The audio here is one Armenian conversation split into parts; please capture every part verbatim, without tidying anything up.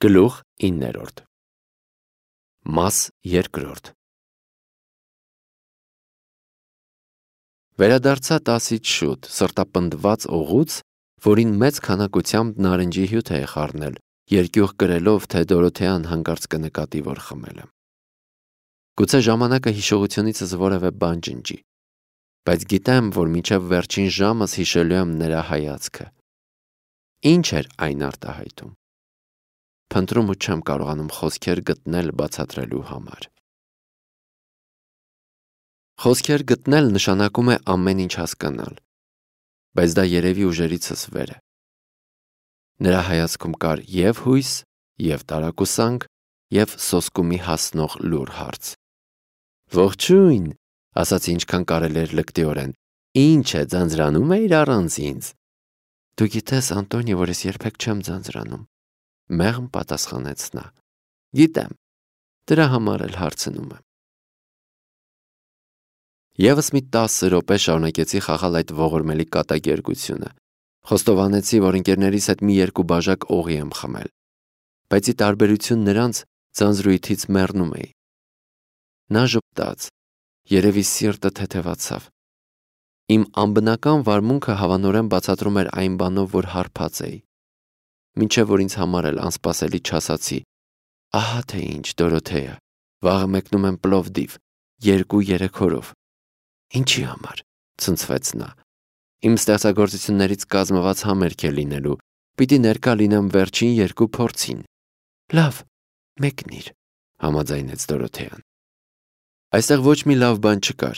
Գլուխ իններորդ Մաս երկրորդ Վերադարձա տասից շուտ, սրտապնդված օղուց, որին մեծ քանակությամբ նարնջի հյութ է խառնել, երկյուղ կրելով, թե Դորոթեան հանկարծ կնկատի, որ խմել եմ։ Գուցե ժամանակը հիշողությունիցս որևէ բան ջնջի, բայց գիտեմ, որ մինչև վերջին ժամս հիշելու եմ նրա հայացքը։ Ինչ էր այն արտահայտում։ Փնտրում ու չեմ կարողանում խոսքեր գտնել բացատրելու համար։ Խոսքեր գտնել նշանակում է ամեն ինչ հասկանալ, բայց դա երևի ուժերիցս վեր է։ Նրա հայացքում կար և հույս, և տարակուսանք, և սոսկումի հասնող լուռ հարց։ Ողջույն, ասացի ինչքան կարելի էր լկտիորեն, ինչ է, ձանձրանում էիր առանց ինձ։ Դու գիտես, Անտոնի, որ ես երբեք չեմ ձանձրանում, մեղմ պատասխանեց նա։ Գիտեմ, դրա համար էլ հարցնում եմ։ Եվս մի տասը րոպե շարունակեցի խաղալ այդ ողորմելի կատակերգությունը։ Խոստովանեցի, որ ընկերներիս հետ մի երկու բաժակ օղի եմ խմել, բայց ի տարբերություն նրանց ձանձրույթից մեռնում էի։ Նա ժպտաց, երևի սիրտը թեթևացավ։ Իմ անբնական վարմունքը հավանորեն բացատրում էր այն բանով, որ հարբած էի։ Մինչև որ ինձ համար էլ անսպասելի չասացի. ահա թե ինչ, Դորոթեա, վաղը մեկնում եմ Պլովդիվ, երկու-երեք օրով։ Ինչի համար, ցնցվեց նա։ Իմ ստեղծագործություններից կազմված համերգ է լինելու, պիտի ներկա լինեմ վերջին երկու փորձին։ Լավ, մեկնիր, համաձայնեց Դորոթեան։ Այստեղ ոչ մի լավ բան չկար։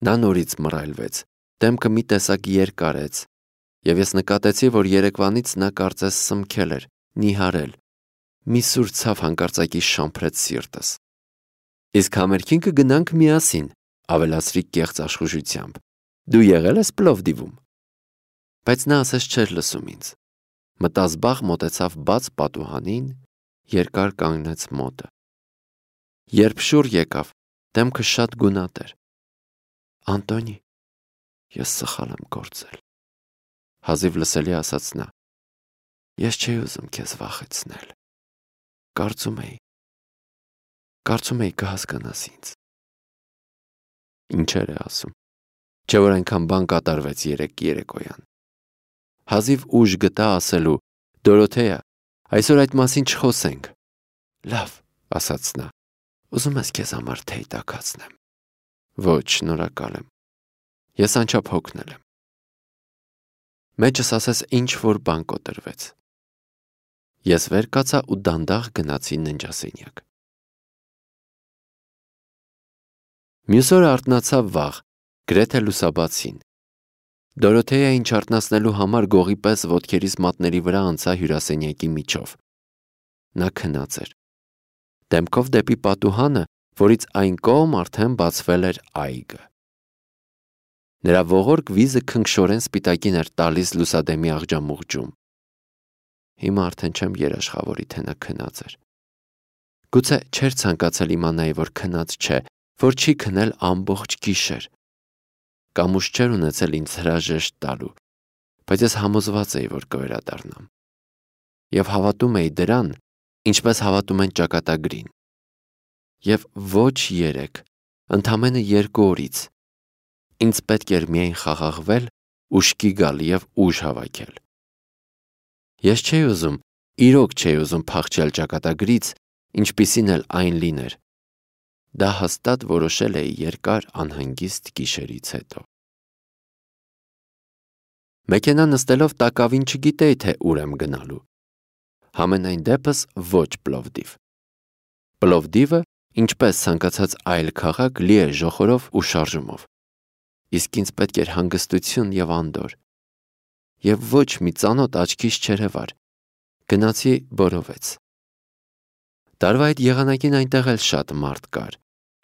Նա նորից մռայլվեց, դեմքը մի տեսակ երկար արեց, և ես նկատեցի, որ երեկվանից նա կարծես սմքել էր, նիհարել, մի սուր ցավ հանկարծակի շամփրեց սիրտս։ Իսկ համերգին կգնանք միասին, ավելացրի կեղծ աշխուժությամբ։ Դու եղել ես Պլովդիվում։ Բայց նա ասես չէր լսում ինձ։ Մտազբաղ մոտեցավ բաց պատուհանին, երկար կանգնեց մոտը։ Երբ շուռ եկավ, դեմքը շատ գունատ էր։ Անտոնի, ես սխալ եմ գործել, հազիվ լսելի ասաց նա։ Ես չէի ուզում քեզ վախեցնել։ Կարծում էի, կարծում էի կհասկանաս ինձ։ Ինչեր է ասում։ Չէ որ այնքան բան կատարվեց երեկ երեկոյան։ Հազիվ ուժ գտա ասելու. Դորոթեա, այսօր այդ մասին չխոսենք։ Լավ, ասաց նա։ Ուզում ես քեզ համար թեյ տաքացնեմ։ Ոչ, շնորհակալ եմ։ Ես անչափ հոգնել եմ։ Մեջս ասես ինչ որ բան կոտրվեց։ Ես վեր կացա ու դանդաղ գնացի ննջասենյակ։ Մյուս օրը արթնացավ վաղ, գրեթե լուսաբացին։ Դորոթեային չարթնացնելու համար գողի պես ոտքերիս մատների վրա անցա հյուրասենյակի միջով։ Նա քնած էր։ Դեմքով դեպի պատուհանը, որից այն կողմ արդեն բացվել էր այգը։ Նրա ողորկ վիզը քնքշորեն սպիտակին էր տալիս լուսադեմի աղջամուղջում։ Հիմա արդեն չեմ երաշխավորի, թե նա քնած էր։ Գուցե չէր ցանկացել իմանայի, որ քնած չէ, որ չի քնել ամբողջ գիշեր։ Կամ ուժ չէր ունեցել ինձ հրաժեշտ տալու, բայց ես համոզված էի, որ կվերադառնամ։ Եվ հավատում էի դրան, ինչպես հավատում են ճակատագրին։ Եվ ոչ երեք, ընդամենը երկու օրից ինձ պետք էր միայն խաղաղվել, ուշքի գալ և ուժ հավաքել։ Ես չէի ուզում, իրոք չէի ուզում փախչել ճակատագրից, ինչպիսին էլ այն լիներ։ Դա հաստատ որոշել էի երկար անհանգիստ գիշերից հետո։ Մեքենա նստելով տակավին չգիտեի, թե ուր եմ գնալու։ Համենայն դեպս ոչ Պլովդիվ։ Պլովդիվը, ինչպես ցանկացած այլ քաղաք, լի է ժոխորով ու շարժումով։ Իսկ ինձ պետք էր հանգստություն և անդորր։ Եվ ոչ մի ծանոթ աչքիս չերևար։ Գնացի Բորովեց։ Տարվա այդ եղանակին այնտեղ էլ շատ մարդ կար։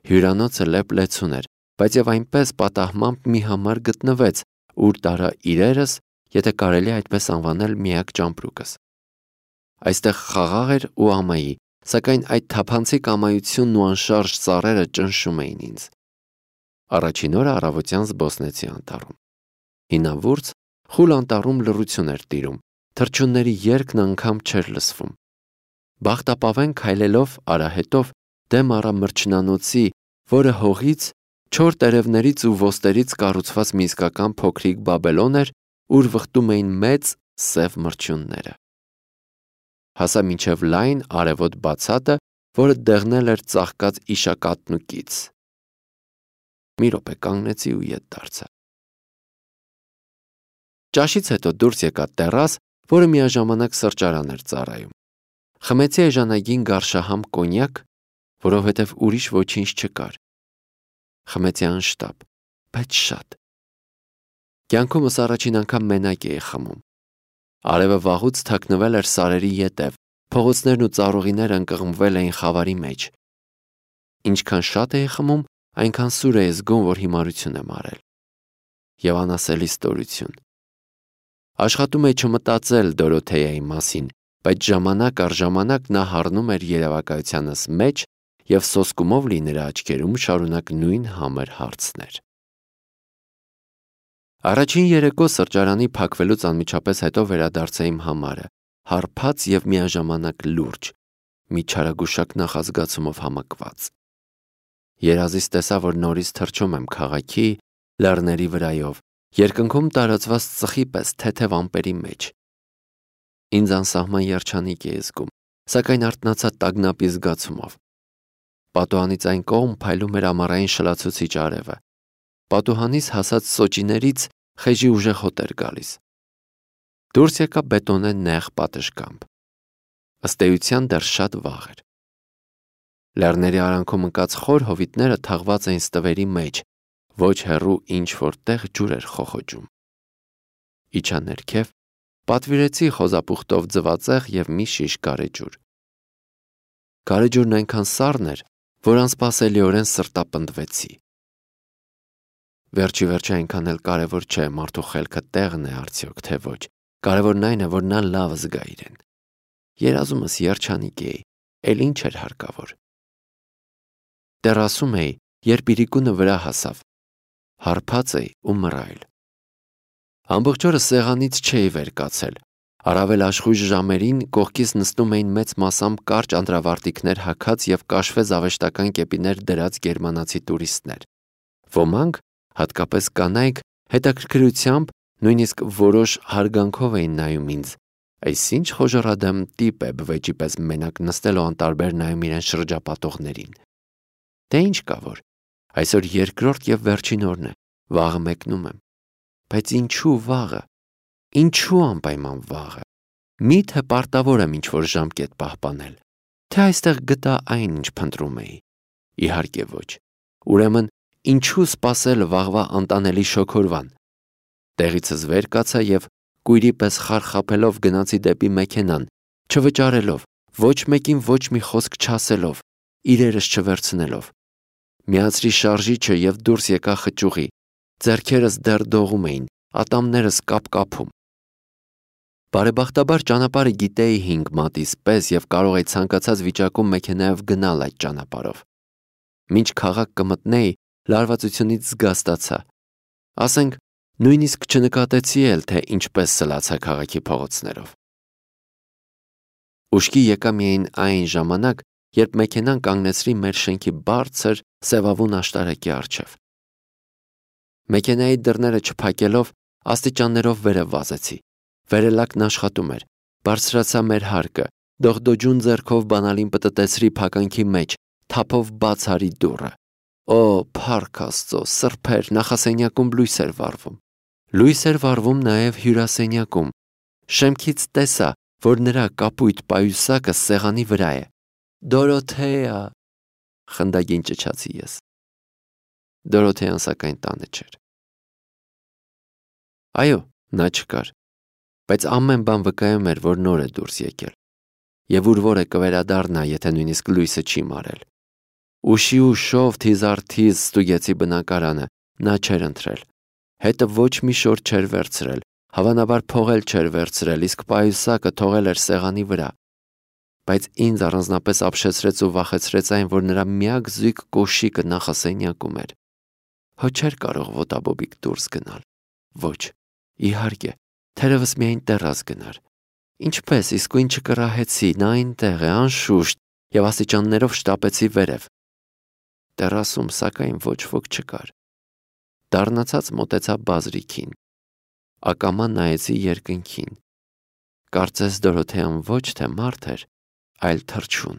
Հյուրանոցը լեփ-լեցուն էր, բայց և այնպես պատահմամբ մի համար գտնվեց, ուր տարա իրերս, եթե կարելի է այդպես անվանել միակ ճամպրուկս։ Այստեղ խաղաղ էր ու ամայի, սակայն այդ թափանցիկ ամայությունն ու անշարժ ծառերը ճնշում էին ինձ։ Առաջին օրը առավոտյան զբոսնեցի անտառում։ Հինավուրց, խուլ անտառում լռություն էր տիրում, թռչունների երգն անգամ չէր լսվում։ բախտապավեն քայլելով արահետով դեմ առա մրջնանոցի, որը հողից, չոր տերևներից ու ոստերից կառուցված մի իսկական փոքրիկ Բաբելոն էր, ուր վխտում էին մեծ սև մրջյունները։ Հասա մինչև լայն արևոտ բացատը, որը դեղնել էր ծաղկած իշակատն ու կից։ Մի րոպե կանգնեցի ու ետ դարձա։ Ճաշից հետո դուրս եկա տեռաս, որը միաժամանակ սրճարան էր ծառայում։ Խմեցի էժանագին գարշահամ կոնյակ, որովհետև ուրիշ ոչինչ չկար։ Խմեցի անշտապ, բայց շատ։ Կյանքումս առաջին անգամ մենակ էի խմում։ Արևը վաղուց թաքնվել էր սարերի ետև, փողոցներն ու ծառուղիները ընկղմվել էին խավարի մեջ։ Ինչքան շատ էի խմում, այնքան սուր էի զգում, որ հիմարություն եմ արել։ Եվ անասելի ստորություն։ Աշխատում էի չմտածել Դորոթեայի մասին, բայց ժամանակ առ ժամանակ նա հառնում էր երևակայությանս մեջ և սոսկումով լի նրա աչքերում շարունակ նույն համր հարցներ։ Առաջին երեկո սրճարանի փակվելուց անմիջապես հետո վերադարձա իմ համարը, հարբած և միաժամանակ լուրջ, մի չարագուշակ նախազգացումով համակված։ Երազից տեսա, որ նորից թռչում եմ քաղաքի, լեռների վրայով, երկնքում տարածված ծխի պես թեթև ամպերի մեջ։ Ինձ անսահման երջանիկ էի զգում, սակայն արթնացա տագնապի զգացումով։ Պատուհանից այն կողմ փայլում էր ամառային շլացուցիչ արևը։ Պատուհանից հասած սոճիներից խեժի ուժեղ հոտ էր գալիս։ Դուրս եկա բետոնե նեղ պատշգամբ։ Ըստ էության դեռ շատ վաղ էր։ Լեռների արանքում ընկած խոր հովիտները թաղված էին ստվերի մեջ, ոչ հեռու ինչ-որ տեղ ջուր էր խոխոջում։ Իջա ներքև, պատվիրեցի խոզապուխտով ձվածեղ և մի շիշ գարեջուր։ Գարեջուրն այնքան սառն էր, որ անսպասելիորեն սրտապնդվեցի։ Վերջի վերջը այնքան էլ կարևոր չէ մարդու խելքը տեղն է արդյոք թե ոչ, կարևորն այն է, որ նա լավ զգա իրեն։ Երազումս երջանիկ էի, էլ ինչ էր հարկավոր։ Տեռասում էի, երբ իրիկունը վրա հասավ։ Հարբած էի ու մռայլ։ Ամբողջ օրը սեղանից չէի վեր կացել։ Առավել աշխույժ ժամերին կողքից նստում էին մեծ մասամբ կարճ անդրավարտիքներ հագած և կաշվե զավեշտական կեպիներ դրած գերմանացի տուրիստներ։ Ոմանք, հատկապես կանայք, հետաքրքրությամբ, նույնիսկ որոշ հարգանքով էին նայում ինձ։ Այս ինչ խոժոռադեմ տիպ է բվեճի պես մենակ նստել ու անտարբեր նայում իրեն շրջապատողներին։ Դե ինչ կա որ, այսօր երկրորդ և վերջին օրն է, վաղը մեկնում եմ։ Բայց ինչու վաղը, ինչու անպայման վաղը, միթե պարտավոր եմ ինչ-որ ժամկետ պահպանել, թե այստեղ գտա այն, ինչ փնտրում էի։ Իհարկե ոչ, ուրեմն ինչու սպասել վաղվա անտանելի շոգորվան։ Տեղիցս վեր կացա և կույրի պես խարխափելով գնացի դեպի մեքենան, չվճարելով, ոչ մեկին ոչ մի խոսք չասելով, իրերս չվերցնելով։ Միացրի շարժիչը և դուրս եկա խճուղի, ձեռքերս դեռ դողում էին, ատամներս կապ-կապում։ Բարեբախտաբար ճանապարհը գիտեի հինգ մատից պես և կարող էի ցանկացած վիճակում մեքենայով գնալ այդ ճանապարհով։ Մինչ քաղաք կմտնեի, լարվածությունից զգաստացա։ Ասենք, նույնիսկ չնկատեցի էլ, թե ինչպես սլացա քաղաքի փողոցներով։ Ուշքի եկա միայն այն ժամանակ, երբ մեքենան կանգնեցրի մեր շենքի բարձր, սևավուն աշտարակի առջև։ Մեքենայի դռները չփակելով, աստիճաններով վերև վազեցի։ Վերելակն աշխատում էր, բարձրացա մեր հարկը, դողդոջուն ձեռքով բանալին պտտեցրի փականքի մեջ, թափով բաց արի դուռը։ Օ, փառք Աստծո, սրբեր, նախասենյակում լույս էր վառվում։ Լույս էր վառվում նաև հյուրասենյակում։ Շեմքից տեսա, որ նրա կապույտ պայուսակը սեղանի վրա է։ Դորոթեա, խնդագին ճչացի ես։ Դորոթեան սակայն տանը չէր։ Այո, նա չկար, բայց ամեն բան վկայում էր, որ նոր է դուրս եկել, և ուր որ է կվերադառնա, եթե նույնիսկ լույսը չի մարել։ Ուշի ուշով թիզառթիզ ստուգեցի բնակարանը, նա չէր ընթրել։ Հետը ոչ մի շոր չէր վերցրել, հավանաբար փող էլ չէր վերցրել, իսկ պայուսակը թողել էր սեղանի վրա։ Բայց ինձ առանձնապես ապշեցրեց ու վախեցրեց այն, որ նրա միակ զույգ կոշիկը նախասենյակում էր։ Հո չէր կարող ոտաբոբիկ դուրս գնալ։ Ոչ, իհարկե, թերևս միայն տեռաս գնար։ Ինչպես իսկույն չկռահեցի, նա այնտեղ է, անշուշտ, եւ աստիճաններով շտապեցի վերև։ Տերասում սակայն ոչ ոք չկար։ Դառնացած մոտեցա բազրիքին։ Ակամա նայեցի երկնքին։ Կարծես Դորոթեան ոչ թե մարդ էր, այլ թռչուն,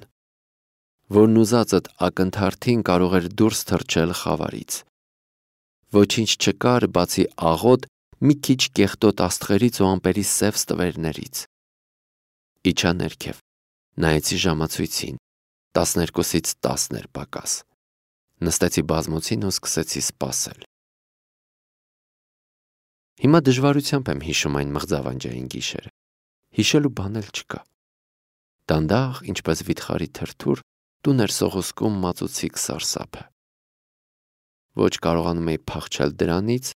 որն ուզածդ ակնթարթին կարող էր դուրս թռչել խավարից։ Ոչինչ չկար, բացի աղոտ մի քիչ կեղտոտ աստղերից ու ամպերի սև ստվերներից։ Իջա ներքև, նայեցի ժամացույցին, տասներկուսից տասն էր պակաս։ Նստեցի բազմոցին ու սկսեցի սպասել։ Հիմա դժվարությամբ եմ հիշում այն մղձավանջային գիշերը։ Հիշելու բան էլ չկա։ Դանդաղ, ինչպես վիթխարի թրթուր, տուն էր սողոսկում մածուցիկ սարսափը։ Ոչ կարողանում էի փախչել դրանից,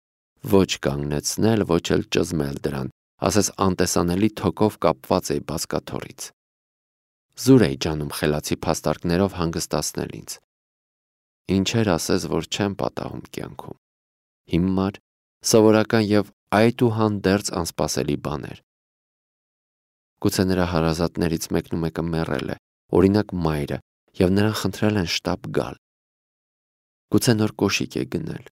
ոչ կանգնեցնել, ոչ էլ ճզմել դրան, ասես անտեսանելի թոքով կապված էի բազկաթոռից։ Զուր էի ջանում խելացի փաստարկներով հանգստացնել ինձ։ Ինչեր ասես, որ չեմ պատահում կյանքում։ Հիմար, սովորական եւ այդուհանդերձ անսպասելի բաներ։ Գուցե նրա հարազատներից մեկն ու մեկը մեռել է, օրինակ մայրը, եւ նրան խնդրել են շտապ գալ։ Գուցե նոր կոշիկ է գնել։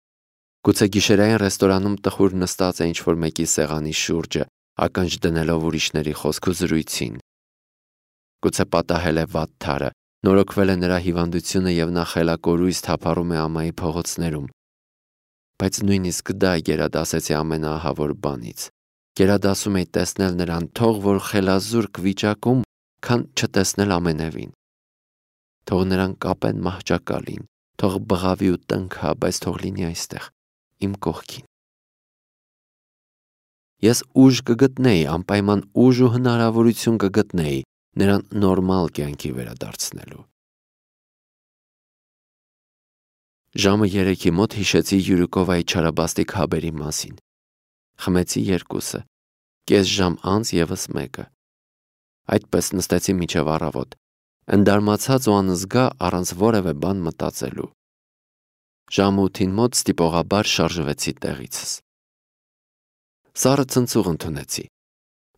Գուցե գիշերային ռեստորանում տխուր նստած է ինչ-որ մեկի սեղանի շուրջը, ականջ դնելով ուրիշների խոսք ու զրույցին։ Գուցե պատահել է վատթարը, նորոգվել է նրա հիվանդությունը եւ նա խելակորույս թափառում է ամայի փողոցներում։ Բայց նույնիսկ դա գերադասեցի ամենաահավոր բանից։ Գերադասում էի տեսնել նրան, թող որ խելազուրկ վիճակում, քան չտեսնել ամենևին։ Թող նրան կապեն մահճակալին, թող բղավի ու տնքա, բայց թող լինի այստեղ, իմ կողքին։ Ես ուժ կգտնեի, անպայման ուժ ու հնարավորություն կգտնեի նրան նորմալ կյանքի վերադարձնելու։ Ժամը երեքի մոտ հիշեցի Յուրիկովայի չարաբաստիկ հաբերի մասին։ Խմեցի երկուսը, կես ժամ անց եւս մեկը։ Այդպես նստեցի մինչև առավոտ, ընդարմացած ու անզգա առանց որևէ բան մտածելու։ Ժամը ութին մոտ ստիպողաբար շարժվեցի տեղիցս։ Սառը ցնցուղ ընդունեցի։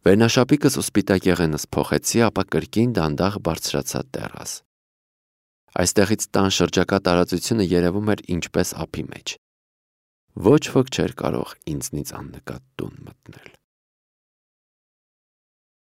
Վերնաշապիկս ու սպիտակ եղենս փոխեցի, ապա կրկին դանդաղ բարձրացա տեռաս։ Այստեղից տան շրջակա տարածությունը երևում էր ինչպես ափի մեջ։ Ոչ ոք չէր կարող ինձնից աննկատ տուն մտնել։